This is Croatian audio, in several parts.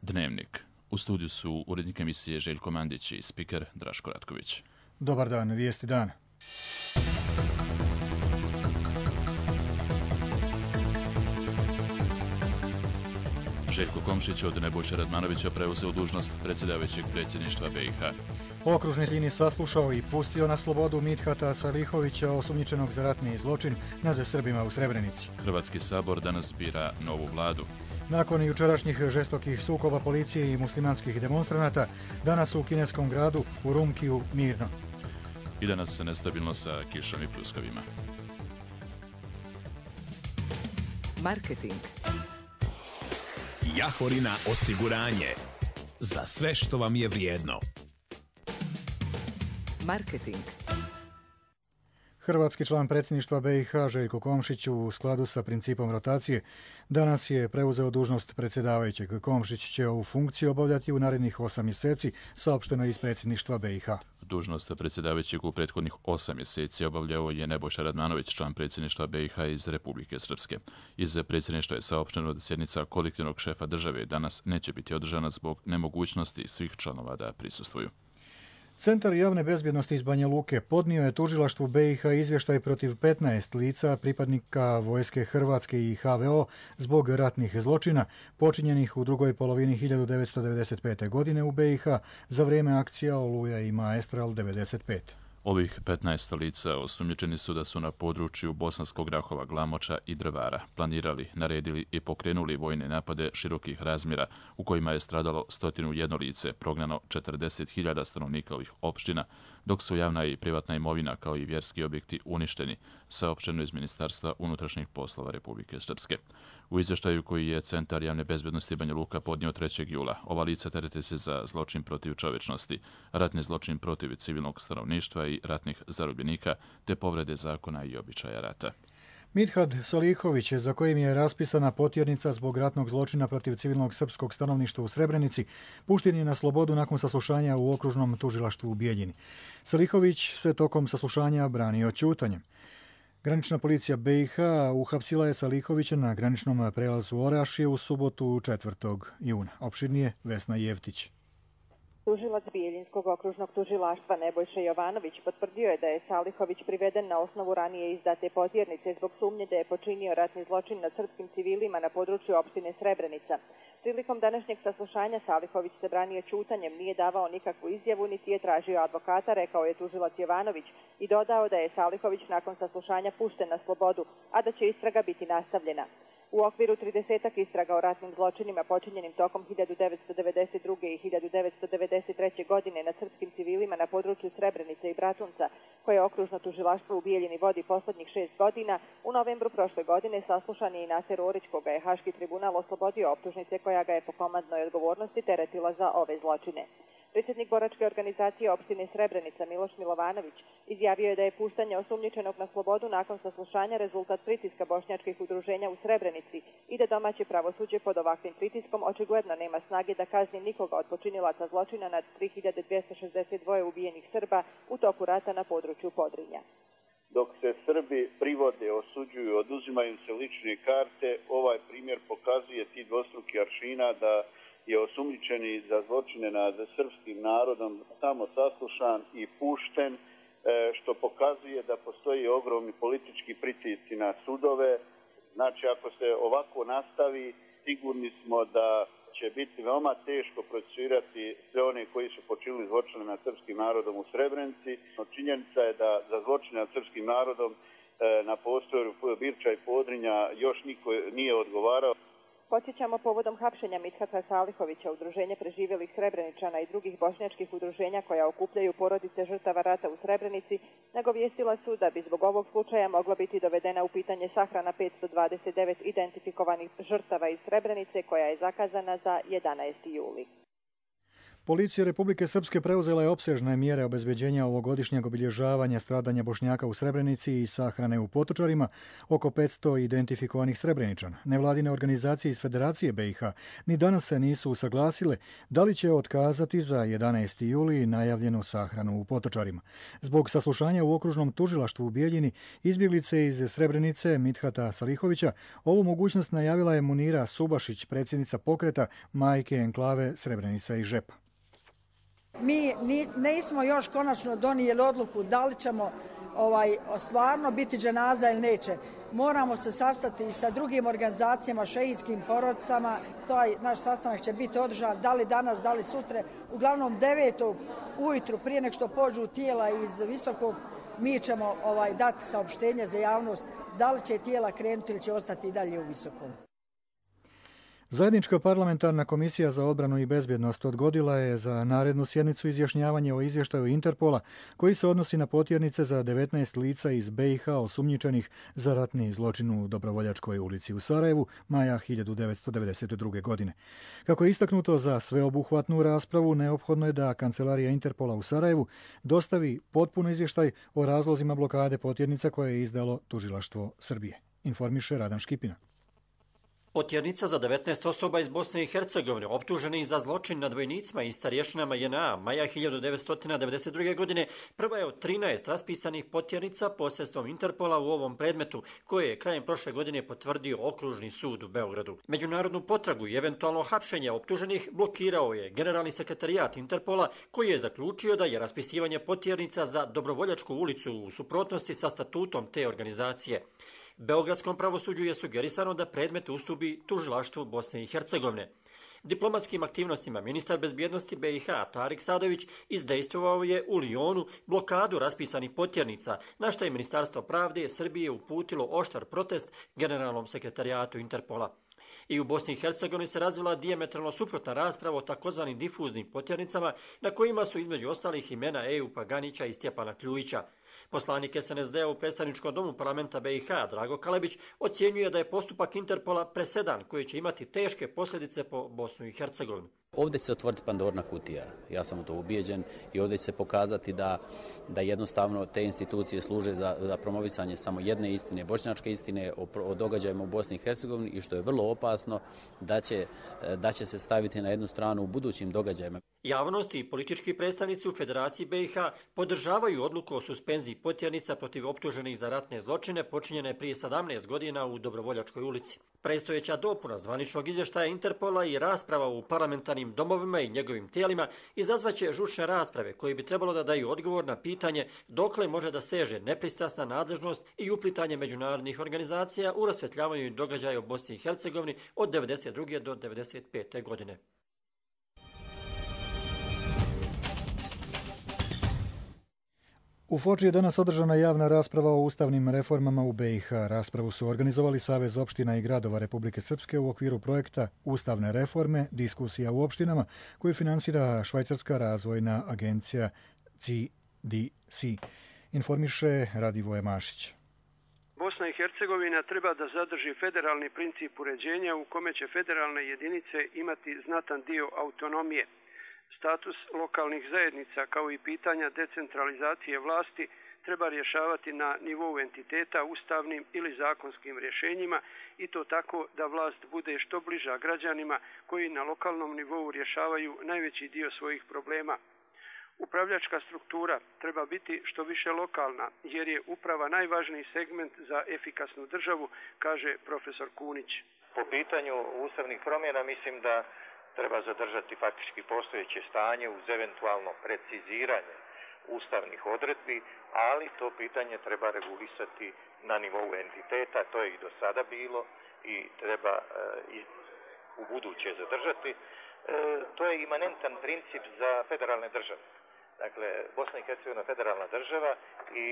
Dnevnik. U studiju su urednik emisije Željko Mandić i spiker Draško Ratković. Dobar dan, vijesti dana. Željko Komšić od Nebojše Radmanovića preuzeo dužnost predsjedavajućeg predsjedništva BiH. Okružni sudija saslušao i pustio na slobodu Midhata Salihovića, osumnjičenog za ratni zločin nad Srbima u Srebrenici. Hrvatski sabor danas bira novu vladu. Nakon jučerašnjih žestokih sukoba policije i muslimanskih demonstranata, danas u kineskom gradu Urumqiju mirno. I danas nestabilno sa kišom i pljuskovima. Marketing. Jahorina osiguranje. Za sve što vam je vrijedno. Marketing. Hrvatski član predsjedništva BiH Željko Komšić u skladu sa principom rotacije danas je preuzeo dužnost predsjedavajućeg. Komšić će ovu funkciju obavljati u narednih 8 mjeseci, saopšteno iz predsjedništva BiH. Dužnost predsjedavajućeg u prethodnih 8 mjeseci obavljao je Nebojša Radmanović, član predsjedništva BiH iz Republike Srpske. Iz predsjedništva je saopšteno da sjednica kolektivnog šefa države danas neće biti održana zbog nemogućnosti svih članova da prisustvuju. Centar javne bezbjednosti iz Banja Luke podnio je tužilaštvu BiH izvještaj protiv 15 lica pripadnika vojske Hrvatske i HVO zbog ratnih zločina počinjenih u drugoj polovini 1995. godine u BiH za vrijeme akcija Oluja i Maestral 95. Ovih 15 lica osumnjičeni su da su na području Bosanskog Rahova, Glamoča i Drvara planirali, naredili i pokrenuli vojne napade širokih razmjera u kojima je stradalo 101 lice, prognano 40.000 stanovnika ovih opština, dok su javna i privatna imovina kao i vjerski objekti uništeni, saopšteno iz Ministarstva unutrašnjih poslova Republike Srpske. U izvještaju koji je Centar javne bezbjednosti Banja Luka podnio 3. jula, ova lica terete se za zločin protiv čovječnosti, ratni zločin protiv civilnog stanovništva i ratnih zarobljenika, te povrede zakona i običaja rata. Midhat Salihović, za kojim je raspisana potjernica zbog ratnog zločina protiv civilnog srpskog stanovništva u Srebrenici, pušten je na slobodu nakon saslušanja u okružnom tužilaštvu u Bijeljini. Salihović se tokom saslušanja branio ćutanjem. Granična policija BiH uhapsila je Salihovića na graničnom prelazu Orašje u subotu 4. juna. Opširnije Vesna Jevtić. Tužilac Bijeljinskog okružnog tužilaštva Nebojša Jovanović potvrdio je da je Salihović priveden na osnovu ranije izdate potjernice zbog sumnje da je počinio ratni zločin nad srpskim civilima na području opštine Srebrenica. Prilikom današnjeg saslušanja Salihović se branio ćutanjem, nije davao nikakvu izjavu niti je tražio advokata, rekao je tužilac Jovanović i dodao da je Salihović nakon saslušanja pušten na slobodu, a da će istraga biti nastavljena. U okviru 30 istraga o ratnim zločinima počinjenim tokom 1992. i 1993. godine nad srpskim civilima na području Srebrenice i Bratunca, koje okružno tužilaštvo u Bijeljini vodi poslednjih 6 godina, u novembru prošle godine saslušan je i Naser Orić, koga je Haški tribunal oslobodio optužnice koja ga je po komandnoj odgovornosti teretila za ove zločine. Predsjednik boračke organizacije opštine Srebrenica Miloš Milovanović izjavio je da je puštanje osumnjičenog na slobodu nakon saslušanja rezultat pritiska bošnjačkih udruženja u Srebrenici i da domaće pravosuđe pod ovakvim pritiskom očigledno nema snage da kazni nikoga od počinilaca zločina nad 3262 ubijenih Srba u toku rata na području Podrinja. Dok se Srbi privode, osuđuju, oduzimaju se lične karte, ovaj primjer pokazuje ti dvostruki aršina da je osumnjičeni za zločine nad srpskim narodom samo saslušan i pušten, što pokazuje da postoji ogromni politički pritisci na sudove. Znači, ako se ovako nastavi, sigurni smo da će biti veoma teško procesuirati sve one koji su počinili zločine nad srpskim narodom u Srebrenici. No, činjenica je da za zločine nad srpskim narodom na prostoru Birča i Podrinja još niko nije odgovarao. Podsjećamo, povodom hapšenja Midhata Salihovića, udruženje preživjelih Srebreničana i drugih bošnjačkih udruženja koja okupljaju porodice žrtava rata u Srebrenici, nagovijestila su da bi zbog ovog slučaja mogla biti dovedena u pitanje sahrana 529 identifikovanih žrtava iz Srebrenice koja je zakazana za 11. juli. Policija Republike Srpske preuzela je opsežne mjere obezbeđenja ovogodišnjeg obilježavanja stradanja Bošnjaka u Srebrenici i sahrane u Potočarima, oko 500 identifikovanih Srebreničana. Nevladine organizacije iz Federacije BiH ni danas se nisu usaglasile da li će otkazati za 11. juli najavljenu sahranu u Potočarima. Zbog saslušanja u okružnom tužilaštvu u Bijeljini, izbjeglice iz Srebrenice Midhata Salihovića, ovu mogućnost najavila je Munira Subašić, predsjednica pokreta Majke enklave Srebrenica i Žepa. Mi nismo još konačno donijeli odluku da li ćemo stvarno biti dženaza ili neće. Moramo se sastati i sa drugim organizacijama, šehidskim porodicama. Taj naš sastanak će biti održan da li danas, da li sutra. Uglavnom 9. ujutru prije nego što pođu tijela iz Visokog, mi ćemo dati saopštenje za javnost da li će tijela krenuti ili će ostati i dalje u Visokom. Zajednička parlamentarna komisija za odbranu i bezbjednost odgodila je za narednu sjednicu izjašnjavanje o izvještaju Interpola koji se odnosi na potjernice za 19 lica iz BiH osumnjičenih za ratni zločin u Dobrovoljačkoj ulici u Sarajevu maja 1992. godine. Kako je istaknuto, za sveobuhvatnu raspravu neophodno je da Kancelarija Interpola u Sarajevu dostavi potpun izvještaj o razlozima blokade potjernica koje je izdalo tužilaštvo Srbije, informiše Radan Škipina. Potjernica za 19 osoba iz Bosne i Hercegovine optuženih za zločin nad vojnicima i starješinama JNA maja 1992. godine prva je od 13 raspisanih potjernica posredstvom Interpola u ovom predmetu, koje je krajem prošle godine potvrdio Okružni sud u Beogradu. Međunarodnu potragu i eventualno hapšenje optuženih blokirao je Generalni sekretarijat Interpola, koji je zaključio da je raspisivanje potjernica za Dobrovoljačku ulicu u suprotnosti sa statutom te organizacije. Beogradskom pravosuđu je sugerisano da predmet ustupi tužilaštvu Bosne i Hercegovine. Diplomatskim aktivnostima ministar bezbjednosti BiH Tarik Sadović izdejstvovao je u Lijonu blokadu raspisanih potjernica, na što je Ministarstvo pravde Srbije uputilo oštar protest Generalnom sekretarijatu Interpola. I u Bosni i Hercegovini se razvila dijametralno suprotna rasprava o takozvanim difuznim potjernicama, na kojima su između ostalih imena Ejupa Ganića i Stjepana Kljujića. Poslanik SNSD-a u predstavničkom domu parlamenta BiH Drago Kalebić ocjenjuje da je postupak Interpola presedan koji će imati teške posljedice po Bosnu i Hercegovinu. Ovdje će se otvoriti Pandorina kutija, ja sam u to ubijeđen, i ovdje će se pokazati da jednostavno te institucije služe za promovisanje samo jedne istine, bošnjačke istine o događajima u Bosni i Hercegovini, i što je vrlo opasno da će se staviti na jednu stranu u budućim događajima. Javnost i politički predstavnici u Federaciji BiH podržavaju odluku o suspenziji potjernica protiv optuženih za ratne zločine počinjene prije 17 godina u Dobrovoljačkoj ulici. Predstojeća dopuna zvaničnog izvještaja Interpola i rasprava u parlamentarnim domovima i njegovim tijelima izazvaće žučne rasprave koje bi trebalo da daju odgovor na pitanje dokle može da seže nepristrasna nadležnost i uplitanje međunarodnih organizacija u rasvjetljavanju događaja u Bosni i Hercegovini od 1992. do 1995. godine. U Foči je danas održana javna rasprava o ustavnim reformama u BiH. Raspravu su organizovali Savez opština i gradova Republike Srpske u okviru projekta Ustavne reforme, diskusija u opštinama, koju finansira Švajcarska razvojna agencija CDC. Informiše Radivoje Mašić. Bosna i Hercegovina treba da zadrži federalni princip uređenja u kome će federalne jedinice imati znatan dio autonomije. Status lokalnih zajednica kao i pitanja decentralizacije vlasti treba rješavati na nivou entiteta ustavnim ili zakonskim rješenjima, i to tako da vlast bude što bliža građanima koji na lokalnom nivou rješavaju najveći dio svojih problema. Upravljačka struktura treba biti što više lokalna, jer je uprava najvažniji segment za efikasnu državu, kaže profesor Kunić. Po pitanju ustavnih promjena mislim da treba zadržati faktički postojeće stanje uz eventualno preciziranje ustavnih odredbi, ali to pitanje treba regulisati na nivou entiteta, to je i do sada bilo i treba i u buduće zadržati. To je imanentan princip za federalne države. Dakle, Bosna i Hercegovina je federalna država i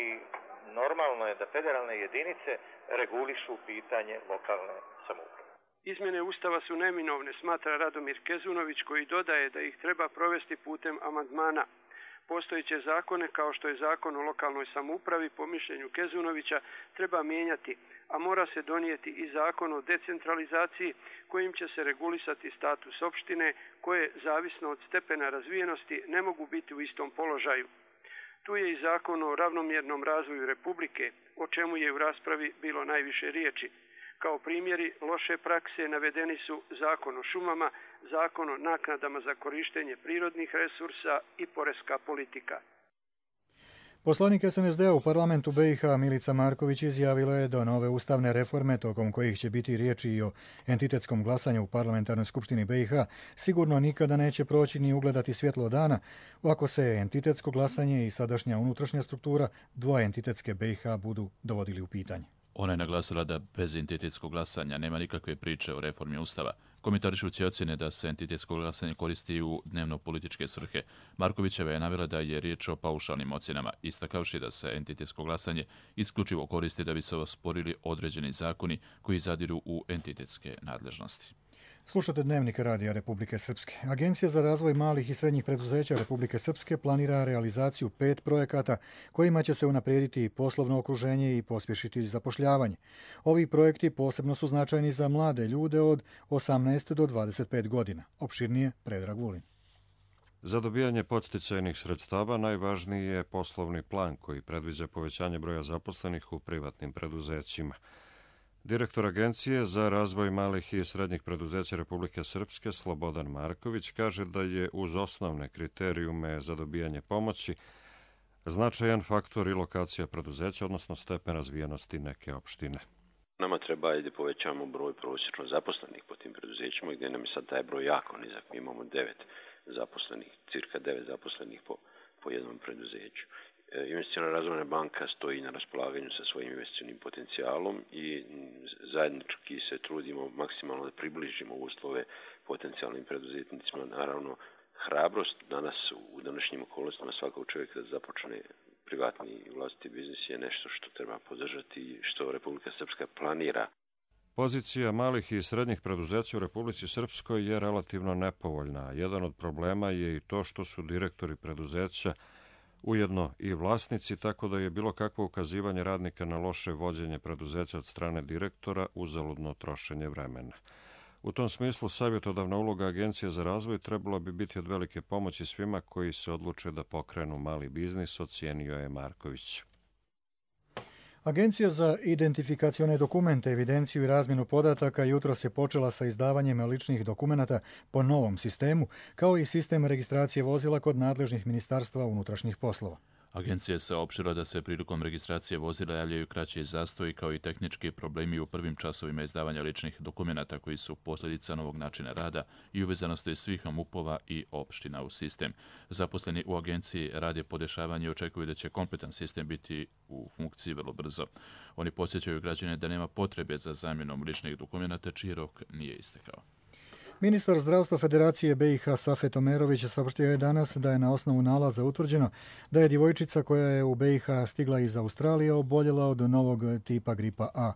normalno je da federalne jedinice regulišu pitanje lokalne samouprave. Izmjene Ustava su neminovne, smatra Radomir Kezunović, koji dodaje da ih treba provesti putem amandmana. Postojeće zakone, kao što je Zakon o lokalnoj samoupravi, po mišljenju Kezunovića, treba mijenjati, a mora se donijeti i Zakon o decentralizaciji kojim će se regulisati status opštine koje, zavisno od stepena razvijenosti, ne mogu biti u istom položaju. Tu je i Zakon o ravnomjernom razvoju Republike, o čemu je u raspravi bilo najviše riječi. Kao primjeri loše prakse navedeni su Zakon o šumama, Zakon o naknadama za korištenje prirodnih resursa i poreska politika. Poslanik SNSD-a u parlamentu BiH Milica Marković izjavila je da nove ustavne reforme, tokom kojih će biti riječi i o entitetskom glasanju u parlamentarnoj skupštini BiH, sigurno nikada neće proći ni ugledati svjetlo dana ako se entitetsko glasanje i sadašnja unutrašnja struktura dvoentitetske BiH budu dovodili u pitanje. Ona je naglasila da bez entitetskog glasanja nema nikakve priče o reformi Ustava. Komentarišući ocjene da se entitetsko glasanje koristi u dnevno-političke svrhe, Markovićeva je navela da je riječ o paušalnim ocjenama, istakavši da se entitetsko glasanje isključivo koristi da bi se osporili određeni zakoni koji zadiru u entitetske nadležnosti. Slušate Dnevnik Radija Republike Srpske. Agencija za razvoj malih i srednjih preduzeća Republike Srpske planira realizaciju 5 projekata kojima će se unaprijediti poslovno okruženje i pospješiti zapošljavanje. Ovi projekti posebno su značajni za mlade ljude od 18 do 25 godina. Opširnije Predrag Vulin. Za dobijanje podsticajnih sredstava najvažniji je poslovni plan koji predviđa povećanje broja zaposlenih u privatnim preduzećima. Direktor Agencije za razvoj malih i srednjih preduzeća Republike Srpske Slobodan Marković kaže da je uz osnovne kriterijume za dobijanje pomoći značajan faktor i lokacija preduzeća, odnosno stepen razvijenosti neke opštine. Nama treba da povećamo broj prosječno zaposlenih po tim preduzećima, gdje nam je sad taj broj jako nizak. Mi imamo 9 zaposlenih, cirka 9 zaposlenih po jednom preduzeću. Investiciona razvojna banka stoji na raspolaganju sa svojim investicionim potencijalom i zajednički se trudimo maksimalno da približimo uslove potencijalnim preduzetnicima. Naravno, hrabrost danas u današnjim okolnostima svakog čovjeka da započne privatni i vlastiti biznis je nešto što treba podržati i što Republika Srpska planira. Pozicija malih i srednjih preduzeća u Republici Srpskoj je relativno nepovoljna. Jedan od problema je i to što su direktori preduzeća ujedno i vlasnici, tako da je bilo kakvo ukazivanje radnika na loše vođenje preduzeća od strane direktora uzaludno trošenje vremena. U tom smislu, savjetodavna uloga Agencije za razvoj trebala bi biti od velike pomoći svima koji se odluče da pokrenu mali biznis, ocijenio je Marković. Agencija za identifikacione dokumente, evidenciju i razmjenu podataka jutros je počela sa izdavanjem ličnih dokumenata po novom sistemu, kao i sistem registracije vozila kod nadležnih ministarstva unutrašnjih poslova. Agencija je saopštila da se prilikom registracije vozila javljaju kraći zastoji kao i tehnički problemi u prvim časovima izdavanja ličnih dokumenata koji su posljedica novog načina rada i uvezanosti svih MUP-ova i opština u sistem. Zaposleni u agenciji rade podešavanje i očekuju da će kompletan sistem biti u funkciji vrlo brzo. Oni podsjećaju građane da nema potrebe za zamjenom ličnih dokumenata čiji rok nije istekao. Ministar zdravstva Federacije BiH Safet Omerović saopštio je danas da je na osnovu nalaza utvrđeno da je djevojčica koja je u BiH stigla iz Australije oboljela od novog tipa gripa A.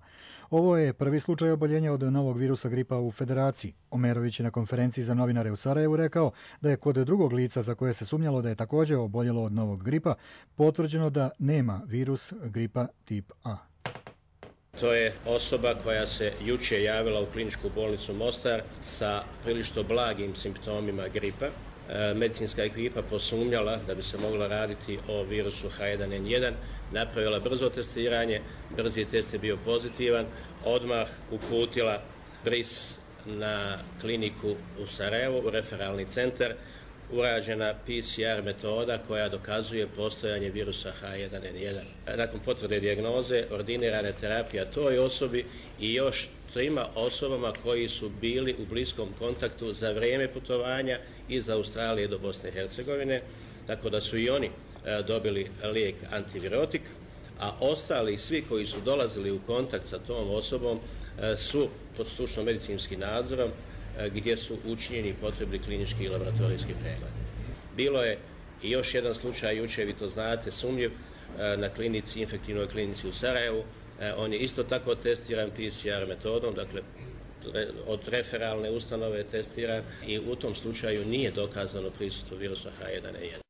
Ovo je prvi slučaj oboljenja od novog virusa gripa u Federaciji. Omerović je na konferenciji za novinare u Sarajevu rekao da je kod drugog lica za koje se sumnjalo da je također oboljelo od novog gripa potvrđeno da nema virus gripa tip A. To je osoba koja se juče javila u kliničku bolnicu Mostar sa prilično blagim simptomima gripa. Medicinska ekipa posumnjala da bi se moglo raditi o virusu H1N1, napravila brzo testiranje, brzi test je bio pozitivan, odmah uputila bris na kliniku u Sarajevu, u referalni centar, urađena PCR metoda koja dokazuje postojanje virusa H1N1. Nakon potvrde dijagnoze ordinirana terapija toj osobi i još 3 osobama koji su bili u bliskom kontaktu za vrijeme putovanja iz Australije do Bosne i Hercegovine, tako da su i oni dobili lijek antivirotik, a ostali svi koji su dolazili u kontakt sa tom osobom su pod stručno medicinskim nadzorom gdje su učinjeni potrebni klinički i laboratorijski pregled. Bilo je i još jedan slučaj, jučer vi to znate, sumnjiv na klinici, infektivnoj klinici u Sarajevu. On je isto tako testiran PCR metodom, dakle od referalne ustanove testiran i u tom slučaju nije dokazano prisustvo virusa H1N1.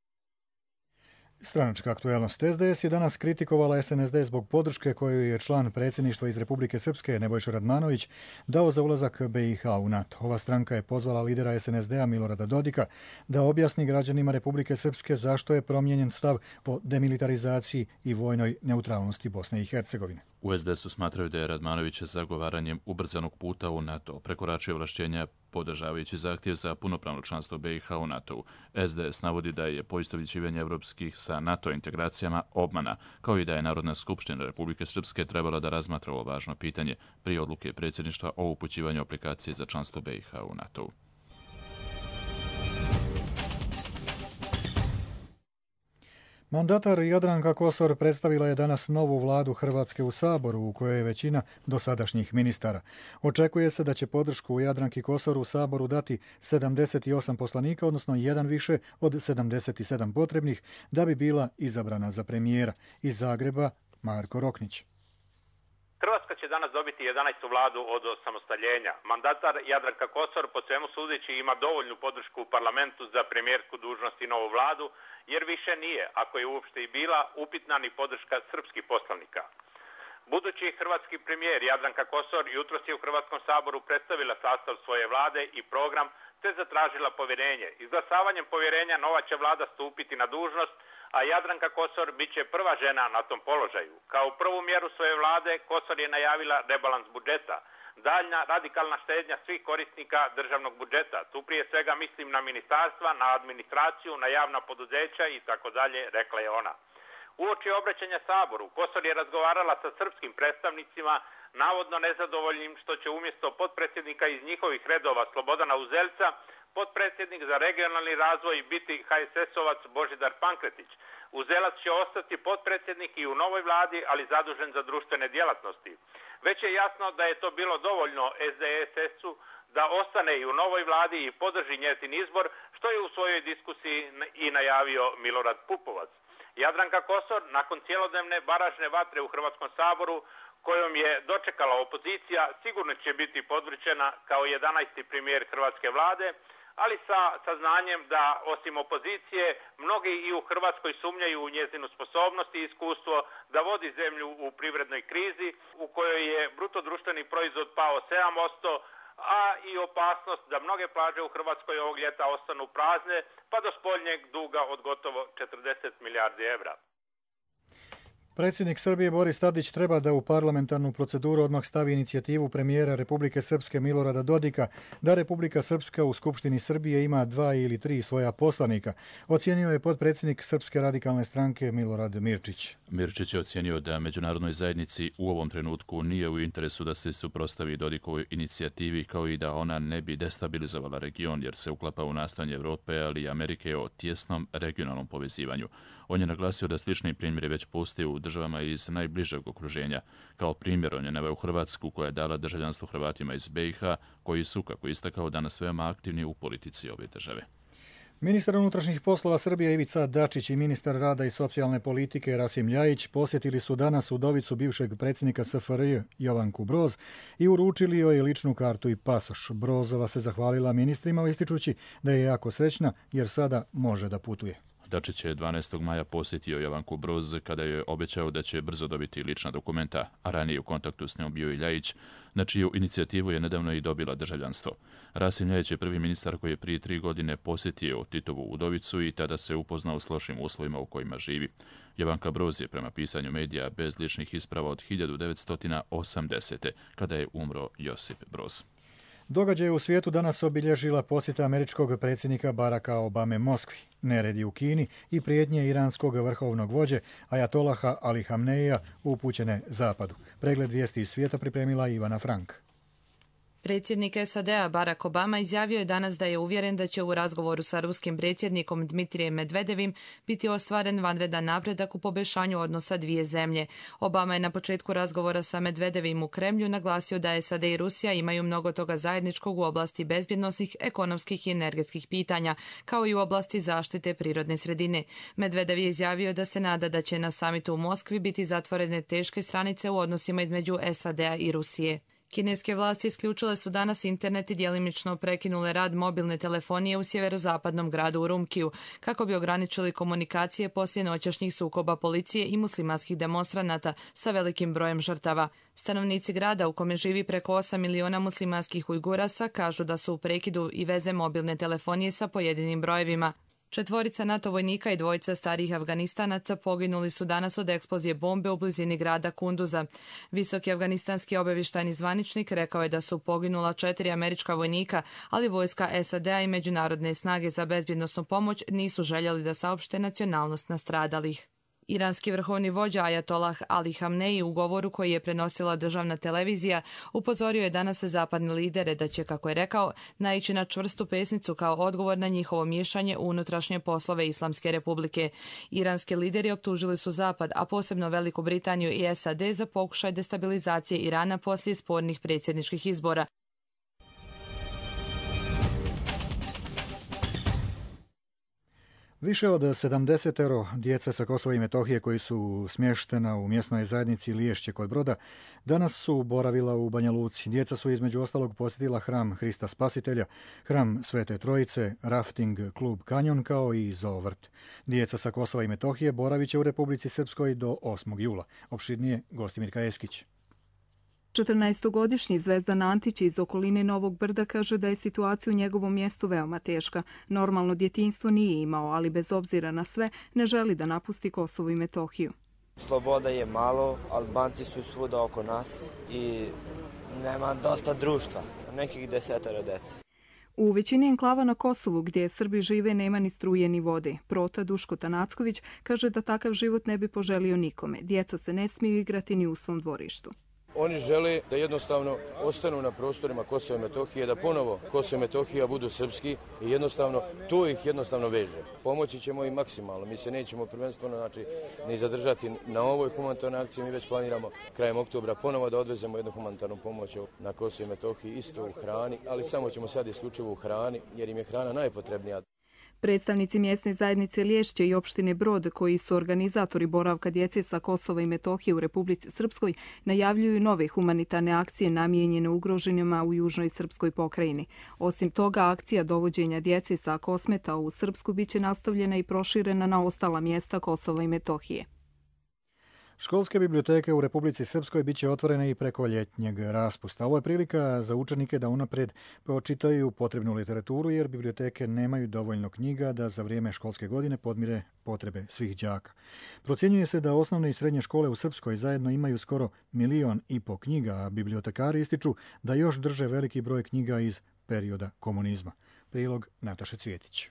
Stranačka aktuelnost. SDS je danas kritikovala SNSD zbog podrške koju je član predsjedništva iz Republike Srpske Nebojša Radmanović dao za ulazak BiH u NATO. Ova stranka je pozvala lidera SNSD-a Milorada Dodika da objasni građanima Republike Srpske zašto je promijenjen stav o demilitarizaciji i vojnoj neutralnosti Bosne i Hercegovine. U SDS-u smatraju da je Radmanović zagovaranjem ubrzanog puta u NATO prekoračio ovlašćenja podržavajući zahtjev za punopravno članstvo BiH u NATO-u. SDS navodi da je poistovjećivanje evropskih sa NATO integracijama obmana, kao i da je Narodna skupština Republike Srpske trebala da razmatra ovo važno pitanje prije odluke predsjedništva o upućivanju aplikacije za članstvo BiH u NATO-u. Mandatar Jadranka Kosor predstavila je danas novu vladu Hrvatske u Saboru, u kojoj je većina dosadašnjih ministara. Očekuje se da će podršku u Jadranki Kosor u Saboru dati 78 poslanika, odnosno jedan više od 77 potrebnih, da bi bila izabrana za premijera. Iz Zagreba, Marko Roknić. Hrvatska će danas dobiti 11. vladu od osamostaljenja. Mandatar Jadranka Kosor po svemu sudeći ima dovoljnu podršku u parlamentu za premijersku dužnost i novu vladu, jer više nije, ako je uopšte i bila, upitna ni podrška srpskih poslanika. Budući hrvatski premijer Jadranka Kosor jutros je u Hrvatskom saboru predstavila sastav svoje vlade i program, te zatražila povjerenje. Izglasavanjem povjerenja nova će vlada stupiti na dužnost, a Jadranka Kosor bit će prva žena na tom položaju. Kao prvu mjeru svoje vlade Kosor je najavila rebalans budžeta, daljnja radikalna štednja svih korisnika državnog budžeta. Tu prije svega mislim na ministarstva, na administraciju, na javna poduzeća i tako dalje, rekla je ona. Uoči obraćanja Saboru, Kosor je razgovarala sa srpskim predstavnicima, navodno nezadovoljnim što će umjesto potpredsjednika iz njihovih redova Slobodana Uzelca, potpredsjednik za regionalni razvoj biti HSS-ovac Božidar Pankretić. Uzelac će ostati potpredsjednik i u novoj vladi, ali zadužen za društvene djelatnosti. Već je jasno da je to bilo dovoljno SDSS-u da ostane i u novoj vladi i podrži njezin izbor, što je u svojoj diskusiji i najavio Milorad Pupovac. Jadranka Kosor, nakon cjelodnevne baražne vatre u Hrvatskom saboru, kojom je dočekala opozicija, sigurno će biti podvrćena kao 11. premijer hrvatske vlade, ali sa saznanjem da osim opozicije mnogi i u Hrvatskoj sumnjaju u njezinu sposobnost i iskustvo da vodi zemlju u privrednoj krizi u kojoj je bruto društveni proizvod pao 7%, a i opasnost da mnoge plaže u Hrvatskoj ovog ljeta ostanu prazne, pa do spoljnjeg duga od gotovo 40 milijardi evra. Predsjednik Srbije Boris Tadić treba da u parlamentarnu proceduru odmah stavi inicijativu premijera Republike Srpske Milorada Dodika da Republika Srpska u Skupštini Srbije ima 2 ili 3 svoja poslanika, ocijenio je potpredsjednik Srpske radikalne stranke Milorad Mirčić. Mirčić je ocijenio da međunarodnoj zajednici u ovom trenutku nije u interesu da se suprotstavi Dodikovoj inicijativi, kao i da ona ne bi destabilizovala region jer se uklapa u nastojanje Evrope, ali i Amerike o tjesnom regionalnom povezivanju. On je naglasio da slični primjeri već postoje u državama iz najbližeg okruženja. Kao primjer on je naveo Hrvatsku koja je dala državljanstvo Hrvatima iz BiH, koji su, kako je istakao, danas veoma aktivni u politici ove države. Ministar unutrašnjih poslova Srbije Ivica Dačić i ministar rada i socijalne politike Rasim Ljajić posjetili su danas udovicu bivšeg predsjednika SFRJ Jovanku Broz i uručili joj ličnu kartu i pasoš. Brozova se zahvalila ministrima ističući da je jako srećna jer sada može da putuje. Dačić je 12. maja posjetio Jovanku Broz kada je obećao da će brzo dobiti lična dokumenta, a ranije u kontaktu s njom bio i Ljajić, na čiju inicijativu je nedavno i dobila državljanstvo. Rasim Ljajić je prvi ministar koji je prije 3 godine posjetio Titovu udovicu i tada se upoznao s lošim uslovima u kojima živi. Jovanka Broz je prema pisanju medija bez ličnih isprava od 1980. kada je umro Josip Broz. Događaj u svijetu danas obilježila posjeta američkog predsjednika Baracka Obame Moskvi, neredi u Kini i prijetnje iranskog vrhovnog vođe Ajatolaha Ali Hamneija upućene Zapadu. Pregled vijesti iz svijeta pripremila Ivana Frank. Predsjednik SAD-a Barack Obama izjavio je danas da je uvjeren da će u razgovoru sa ruskim predsjednikom Dmitrijem Medvedevim biti ostvaren vanredan napredak u poboljšanju odnosa dvije zemlje. Obama je na početku razgovora sa Medvedevim u Kremlju naglasio da SAD i Rusija imaju mnogo toga zajedničkog u oblasti bezbjednosnih, ekonomskih i energetskih pitanja, kao i u oblasti zaštite prirodne sredine. Medvedev je izjavio da se nada da će na samitu u Moskvi biti zatvorene teške stranice u odnosima između SAD-a i Rusije. Kineske vlasti isključile su danas internet i djelimično prekinule rad mobilne telefonije u sjeverozapadnom gradu Urumqiju, kako bi ograničili komunikacije poslije noćašnjih sukoba policije i muslimanskih demonstranata sa velikim brojem žrtava. Stanovnici grada, u kome živi preko 8 miliona muslimanskih Ujgurasa, kažu da su u prekidu i veze mobilne telefonije sa pojedinim brojevima. 4 NATO vojnika i 2 starijih Afganistanaca poginuli su danas od eksplozije bombe u blizini grada Kunduza. Visoki afganistanski obavještajni zvaničnik rekao je da su poginula 4 američka vojnika, ali vojska SAD-a i međunarodne snage za bezbjednosnu pomoć nisu željeli da saopšte nacionalnost nastradalih. Iranski vrhovni vođa Ajatolah Ali Hamneji u govoru koji je prenosila državna televizija upozorio je danas zapadne lidere da će, kako je rekao, naići na čvrstu pesnicu kao odgovor na njihovo miješanje u unutrašnje poslove Islamske republike. Iranski lideri optužili su Zapad, a posebno Veliku Britaniju i SAD za pokušaj destabilizacije Irana poslije spornih predsjedničkih izbora. Više od 70 djece sa Kosova i Metohije koji su smještena u mjesnoj zajednici Liješće kod Broda danas su boravila u Banja Luci. Djeca su između ostalog posjetila hram Hrista Spasitelja, hram Svete Trojice, rafting klub Kanjon kao i zoovrt. Djeca sa Kosova i Metohije boravit će u Republici Srpskoj do 8. jula. Opširnije Gostimirka Eskić. 14-godišnji Zvezdan Antić iz okoline Novog Brda kaže da je situacija u njegovom mjestu veoma teška. Normalno djetinjstvo nije imao, ali bez obzira na sve ne želi da napusti Kosovo i Metohiju. Sloboda je malo, Albanci su svuda oko nas i nema dosta društva, nekih 10 dece. U većini enklava na Kosovu gdje Srbi žive nema ni struje ni vode. Prota Duško Tanacković kaže da takav život ne bi poželio nikome. Djeca se ne smiju igrati ni u svom dvorištu. Oni žele da jednostavno ostanu na prostorima Kosova i Metohije, da ponovo Kosovo i Metohija budu srpski i jednostavno to ih jednostavno veže. Pomoći ćemo im maksimalno. Mi se nećemo prvenstveno ni zadržati na ovoj humanitarnoj akciji. Mi već planiramo krajem oktobra ponovo da odvezemo jednu humanitarnu pomoć na Kosovo i Metohiji, isto u hrani, ali samo ćemo sad isključivo u hrani jer im je hrana najpotrebnija. Predstavnici mjesne zajednice Liješće i opštine Brod, koji su organizatori boravka djece sa Kosova i Metohije u Republici Srpskoj, najavljuju nove humanitarne akcije namijenjene ugroženima u južnoj srpskoj pokrajini. Osim toga, akcija dovođenja djece sa Kosmeta u Srpsku biće nastavljena i proširena na ostala mjesta Kosova i Metohije. Školske biblioteke u Republici Srpskoj bit će otvorene i preko ljetnjeg raspusta. Ovo je prilika za učenike da unaprijed pročitaju potrebnu literaturu jer biblioteke nemaju dovoljno knjiga da za vrijeme školske godine podmire potrebe svih đaka. Procjenjuje se da osnovne i srednje škole u Srpskoj zajedno imaju skoro 1,5 miliona knjiga, a bibliotekari ističu da još drže veliki broj knjiga iz perioda komunizma. Prilog Nataše Cvjetić.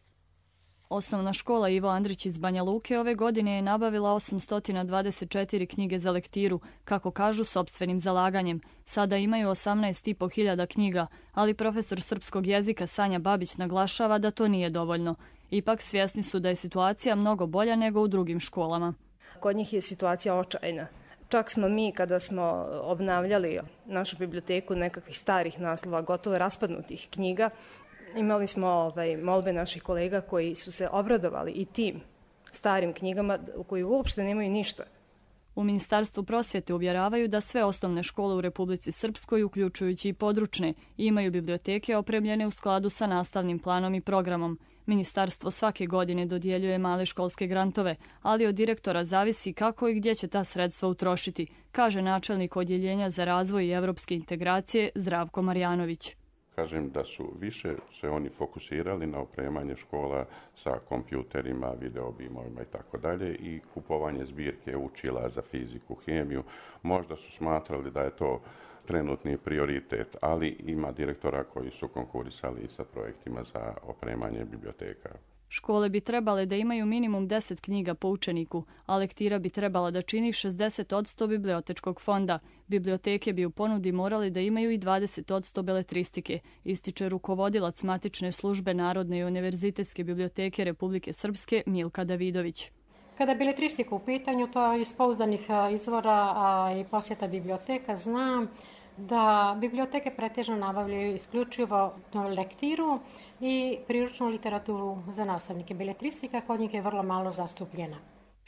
Osnovna škola Ivo Andrić iz Banja Luke ove godine je nabavila 824 knjige za lektiru, kako kažu sopstvenim zalaganjem. Sada imaju 18.500 knjiga, ali profesor srpskog jezika Sanja Babić naglašava da to nije dovoljno. Ipak svjesni su da je situacija mnogo bolja nego u drugim školama. Kod njih je situacija očajna. Čak smo mi, kada smo obnavljali našu biblioteku nekakvih starih naslova, gotovo raspadnutih knjiga, imali smo molbe naših kolega koji su se obradovali i tim starim knjigama koji uopšte nemaju ništa. U Ministarstvu prosvjete uvjeravaju da sve osnovne škole u Republici Srpskoj, uključujući i područne, imaju biblioteke opremljene u skladu sa nastavnim planom i programom. Ministarstvo svake godine dodjeljuje male školske grantove, ali od direktora zavisi kako i gdje će ta sredstva utrošiti, kaže načelnik Odjeljenja za razvoj i evropske integracije Zdravko Marjanović. Kažem da su više se oni fokusirali na opremanje škola sa kompjuterima, videobimovima i tako dalje i kupovanje zbirke učila za fiziku, hemiju. Možda su smatrali da je to trenutni prioritet, ali ima direktora koji su konkurisali sa projektima za opremanje biblioteka. Škole bi trebale da imaju minimum 10 knjiga po učeniku, a lektira bi trebala da čini 60% bibliotečkog fonda. Biblioteke bi u ponudi morali da imaju i 20% beletristike, ističe rukovodilac matične službe Narodne i univerzitetske biblioteke Republike Srpske Milka Davidović. Kada je beletristika u pitanju, to iz pouzdanih izvora i posjeta biblioteka, znam da biblioteke pretežno nabavljaju isključivo lektiru i priručnu literaturu za nastavnike. Beletristika kod njih je vrlo malo zastupljena.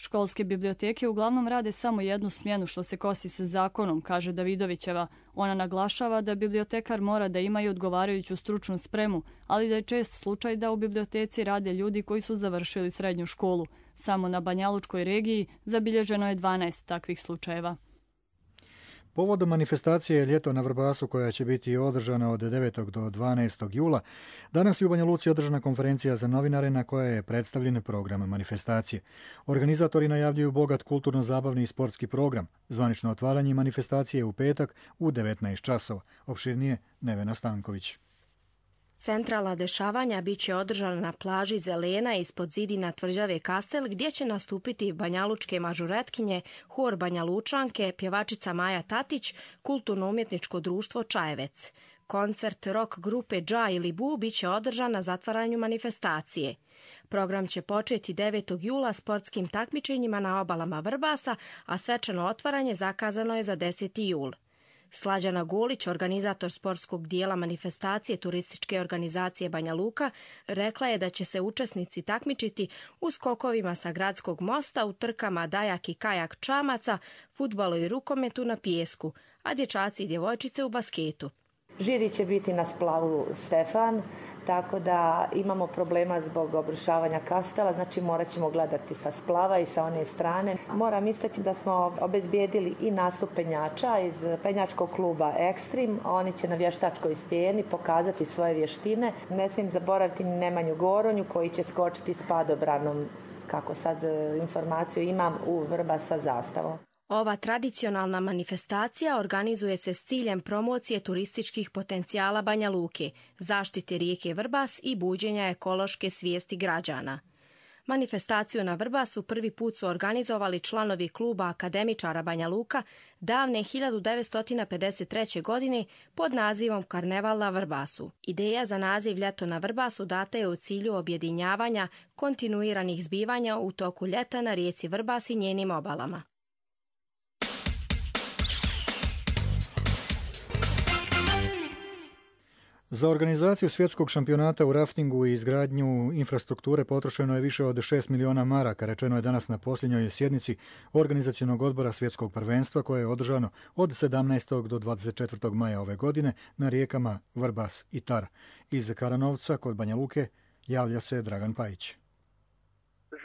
Školske biblioteke uglavnom rade samo jednu smjenu što se kosi sa zakonom, kaže Davidovićeva. Ona naglašava da bibliotekar mora da ima i odgovarajuću stručnu spremu, ali da je čest slučaj da u biblioteci rade ljudi koji su završili srednju školu. Samo na Banjalučkoj regiji zabilježeno je 12 takvih slučajeva. Povodom manifestacije Ljeto na Vrbasu koja će biti održana od 9. do 12. jula, danas je u Banja Luci održana konferencija za novinare na kojoj je predstavljen program manifestacije. Organizatori najavljuju bogat kulturno-zabavni i sportski program. Zvanično otvaranje manifestacije je u petak u 19 časova. Opširnije Nevena Stanković. Centralna dešavanja bit će održana na plaži Zelena ispod zidina tvrđave Kastel, gdje će nastupiti banjalučke mažuretkinje, hor Banja Lučanke, pjevačica Maja Tatić, kulturno-umjetničko društvo Čajevec. Koncert rock grupe Dža ili Bu bit će održan na zatvaranju manifestacije. Program će početi 9. jula sportskim takmičenjima na obalama Vrbasa, a svečano otvaranje zakazano je za 10. jul. Slađana Golić, organizator sportskog dijela manifestacije turističke organizacije Banja Luka, rekla je da će se učesnici takmičiti u skokovima sa gradskog mosta, u trkama dajak i kajak čamaca, fudbalu i rukometu na pijesku, a dječaci i djevojčice u basketu. Žiri će biti na splavu Stefan, tako da imamo problema zbog obrušavanja kastela, znači morat ćemo gledati sa splava i sa one strane. Moram istaći da smo obezbijedili i nastup penjača iz penjačkog kluba Ekstrim. Oni će na vještačkoj stijeni pokazati svoje vještine. Ne smijem zaboraviti ni Nemanju Goronju koji će skočiti s padobranom, kako sad informaciju imam, u Vrbas sa zastavom. Ova tradicionalna manifestacija organizuje se s ciljem promocije turističkih potencijala Banja Luke, zaštite rijeke Vrbas i buđenja ekološke svijesti građana. Manifestaciju na Vrbasu prvi put su organizovali članovi kluba akademičara Banja Luka davne 1953. godine pod nazivom Karneval na Vrbasu. Ideja za naziv Ljeto na Vrbasu data je u cilju objedinjavanja kontinuiranih zbivanja u toku ljeta na rijeci Vrbas i njenim obalama. Za organizaciju svjetskog šampionata u raftingu i izgradnju infrastrukture potrošeno je više od 6 miliona maraka, rečeno je danas na posljednjoj sjednici organizacionog odbora svjetskog prvenstva koje je održano od 17. do 24. maja ove godine na rijekama Vrbas i Tara. Iz Karanovca kod Banja Luke javlja se Dragan Pajić.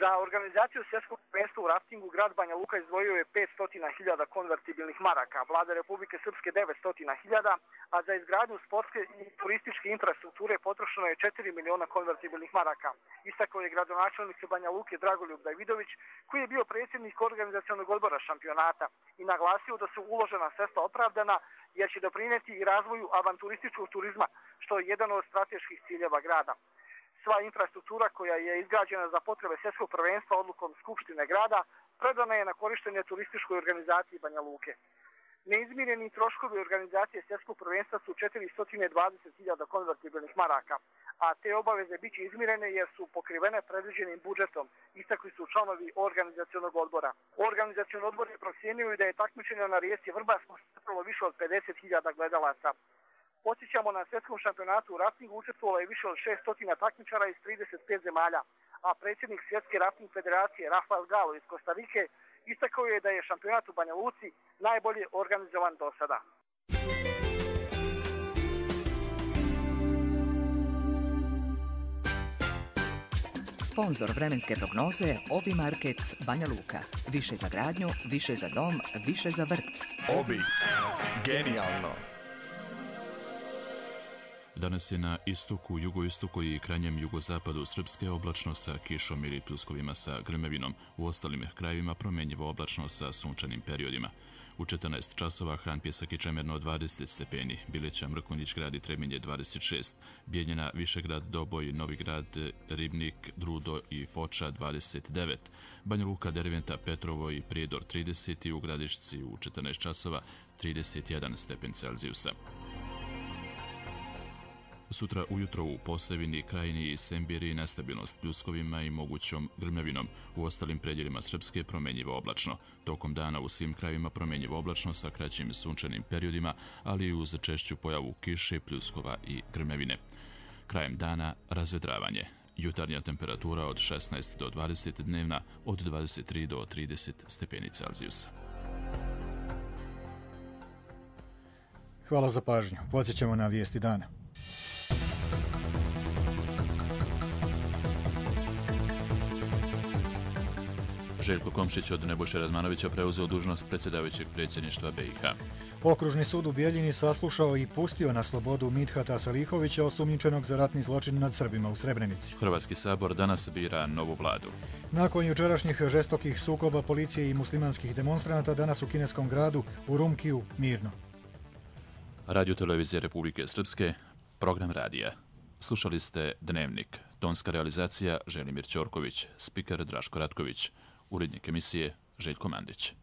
Za organizaciju svjetskog prvenstva u raftingu grad Banja Luka izdvojio je 500.000 konvertibilnih maraka, vlada Republike Srpske 900.000, a za izgradnju sportske i turističke infrastrukture potrošeno je 4 miliona konvertibilnih maraka. Istakao je gradonačelnik Banja Luke Dragoljub Davidović, koji je bio predsjednik organizacionog odbora šampionata i naglasio da su uložena sredstva opravdana jer će doprinijeti i razvoju avanturističkog turizma, što je jedan od strateških ciljeva grada. Sva infrastruktura koja je izgrađena za potrebe svjetskog prvenstva odlukom Skupštine grada predana je na korištenje turističkoj organizaciji Banja Luke. Neizmireni troškovi organizacije svjetskog prvenstva su 420.000 konvertibilnih maraka, a te obaveze bit će izmirene jer su pokrivene predviđenim budžetom, istakli su članovi organizacionog odbora. Organizacioni odbor je procijenio da je takmičenje na rijeci Vrbas postavilo više od 50.000 gledalaca. Podsjećamo, na svjetskom šampionatu u raftingu učestvovalo je više od 600 takmičara iz 35 zemalja, a predsjednik Svjetske rafting federacije Rafael Galo iz Kostarike istakao je da je šampionat u Banja Luci najbolje organizovan do sada. Sponzor vremenske prognoze Obi Market Banja Luka. Više za gradnju, više za dom, više za vrt. Obi. Genijalno. Danas je na istoku, jugoistoku i krajnjem jugozapadu Srpske oblačno sa kišom ili pljuskovima sa grmevinom. U ostalim krajevima promjenjivo oblačno sa sunčanim periodima. U 14 časova Hran, Pjesak i Čemerno 20 stepeni, Bileća, Mrkonjić grad i Trebinje 26, Bijeljina, Višegrad, Doboj, Novigrad, Ribnik, Drudo i Foča 29, Banja Luka, Derventa, Petrovo i Prijedor 30 i u Gradišci u 14 časova 31 stepen Celzijusa. Sutra ujutro u Posavini, Krajini i Sembiri nestabilnost pljuskovima i mogućom grmljavinom. U ostalim predjelima Srpske promjenjivo oblačno. Tokom dana u svim krajevima promjenjivo oblačno sa kraćim sunčanim periodima, ali i uz češću pojavu kiše, pljuskova i grmljavine. Krajem dana razvedravanje. Jutarnja temperatura od 16 do 20, dnevna od 23 do 30 stepeni Celzijusa. Hvala za pažnju. Podsjećamo na vijesti dana. Željko Komšić od Nebojše Radmanovića preuzeo dužnost predsjedavajućeg predsjedništva BiH. Okružni sud u Bijeljini saslušao i pustio na slobodu Midhata Salihovića, osumnjičenog za ratni zločin nad Srbima u Srebrenici. Hrvatski sabor danas bira novu vladu. Nakon jučerašnjih žestokih sukoba policije i muslimanskih demonstranata, danas u kineskom gradu Urumqiju mirno. Radio Televizije Republike Srpske, program radija. Slušali ste Dnevnik. Tonska realizacija Želimir Ćorković, spiker Draško Ratković, urednik emisije Željko Mandić.